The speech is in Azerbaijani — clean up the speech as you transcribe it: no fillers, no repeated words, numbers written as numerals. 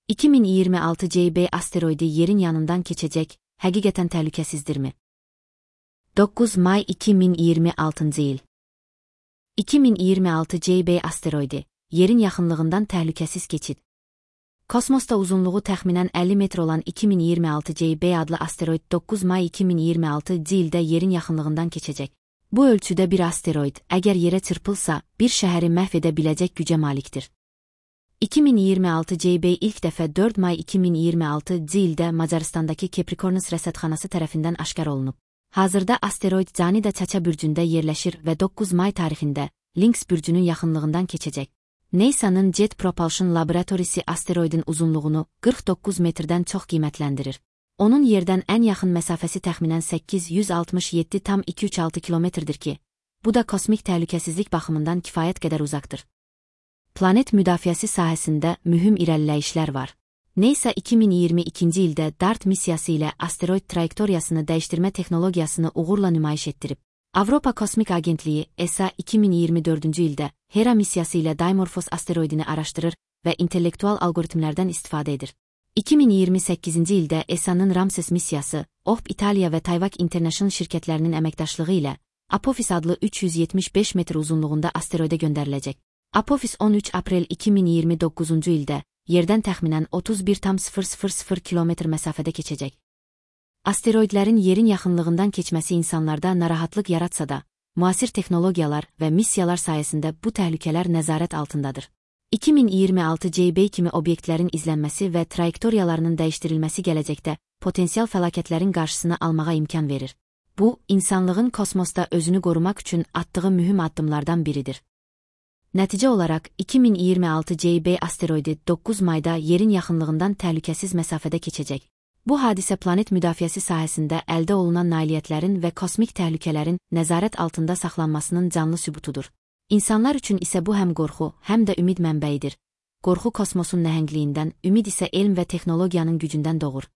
2026 CB asteroidi yerin yanından keçecek, həqiqətən təhlükəsizdirmi? 9 may 2026 il. 2026 CB asteroidi, yerin yaxınlığından təhlükəsiz keçid. Kosmosda uzunluğu təxminən 50 metr olan 2026 CB adlı asteroid 9 may 2026 ildə yerin yaxınlığından keçəcək. Bu ölçüdə bir asteroid, əgər yerə çırpılsa, bir şəhəri məhv edə biləcək gücə malikdir. 2026 CB ilk dəfə 4 may 2026 ildə Macaristandakı Capricornus rəsədxanası tərəfindən aşkar olunub. Hazırda asteroid Canida Çaça bürcündə yerləşir və 9 may tarixində Lynx bürcünün yaxınlığından keçəcək. NASA'nın Jet Propulsion Laboratorisi asteroidin uzunluğunu 49 metrdən çox qiymətləndirir. Onun yerdən ən yaxın məsafəsi təxminən 867,236 kilometrdir ki, bu da kosmik təhlükəsizlik baxımından kifayət qədər uzaqdır. Planet müdafiəsi sahəsində mühüm irəliləyişlər var. NASA 2022-ci ildə DART missiyası ilə asteroid trayektoriyasını dəyişdirmə texnologiyasını uğurla nümayiş etdirib. Avropa Kosmik Agentliyi ESA 2024-cü ildə Hera missiyası ilə Dimorphos asteroidini araşdırır və intellektual algoritmlərdən istifadə edir. 2028-ci ildə ESA-nın Ramses missiyası, OHB İtaliya və Tayvak International şirkətlərinin əməkdaşlığı ilə Apophis adlı 375 metr uzunluğunda asteroidə göndəriləcək. Apophis 13 aprel 2029-cu ildə yerdən təxminən 31,000 kilometr məsafədə keçəcək. Asteroidlərin yerin yaxınlığından keçməsi insanlarda narahatlıq yaratsa da, müasir texnologiyalar və missiyalar sayəsində bu təhlükələr nəzarət altındadır. 2026 CB kimi obyektlərin izlənməsi və trayektoriyalarının dəyişdirilməsi gələcəkdə potensial fəlakətlərin qarşısını almağa imkan verir. Bu, insanlığın kosmosda özünü qorumaq üçün atdığı mühüm addımlardan biridir. Nəticə olaraq 2026 CB asteroidi 9 mayda yerin yaxınlığından təhlükəsiz məsafədə keçəcək. Bu hadisə planet müdafiəsi sahəsində əldə olunan nailiyyətlərin və kosmik təhlükələrin nəzarət altında saxlanmasının canlı sübutudur. İnsanlar üçün isə bu həm qorxu, həm də ümid mənbəyidir. Qorxu kosmosun nəhəngliyindən, ümid isə elm və texnologiyanın gücündən doğur.